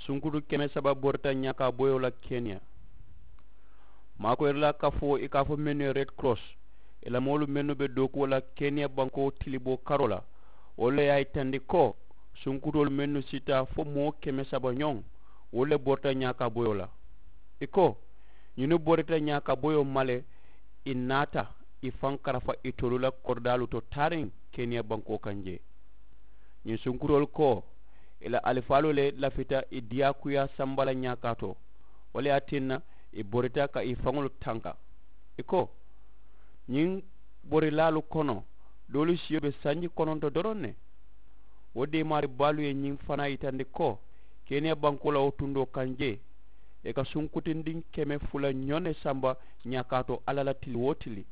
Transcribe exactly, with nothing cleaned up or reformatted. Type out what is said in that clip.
Sunkutu keme saba borita ñaakaa boyoo la keniya. Maakoyiri la kafoo i ka a fo mennu ye red cross, i la moolu mennu be dookuwo la keniya bankoo tiliboo karoo la, wolu le ye a yitandi ko sunkutoolu mennu sita fo moo keme saba ñoŋ, wolu le borita ñaakaa boyoo la. I ko ñinnu borita ñaakaa boyoo ma le, i naata i faŋ karafa itolu la koridaalu to taariŋ keniya bankoo kaŋ jee. Ñiŋ sunkutoolu ko i la alifaalu le lafita i diyaakuyaa samba la ñaakaa to, wo le ye a tinna i borita ka i faŋolu tanka. I ko ñiŋ borilaalu kono doolu siyo be sanji kononto doroŋ ne. Wo deemaari baalu ye ñiŋ fanaa yitandi ko keniya bankoo la wo tundoo kaŋ jee i ka sunkutindiŋ keme fula ñoŋ ne samba ñaakaa to alla la tili wo tili.